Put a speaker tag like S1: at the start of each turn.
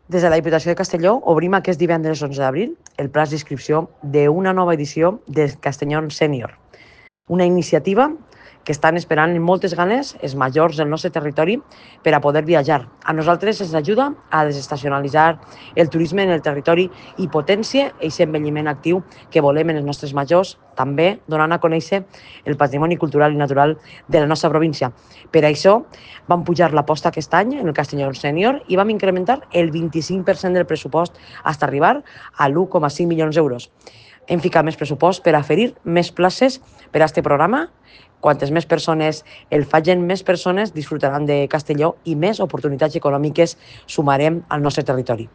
S1: Des de la Diputació de Castelló obrim aquest divendres 11 d'abril el plaç d'inscripció d'una nova edició de Castellón Sènior, una iniciativa que estan esperant amb moltes ganes els majors del nostre territori per a poder viatjar. A nosaltres ens ajuda a desestacionalitzar el turisme en el territori i potencia aquest envelliment actiu que volem en els nostres majors, també donant a conèixer el patrimoni cultural i natural de la nostra província. Per això vam pujar l'aposta aquest any en el Castelló Sènior i vam incrementar el 25% del pressupost fins a arribar a 1,5 milions d'euros. Hem ficat més pressupost per oferir més places per a aquest programa. Quantes més persones el facin, més persones disfrutaran de Castelló i més oportunitats econòmiques sumarem al nostre territori.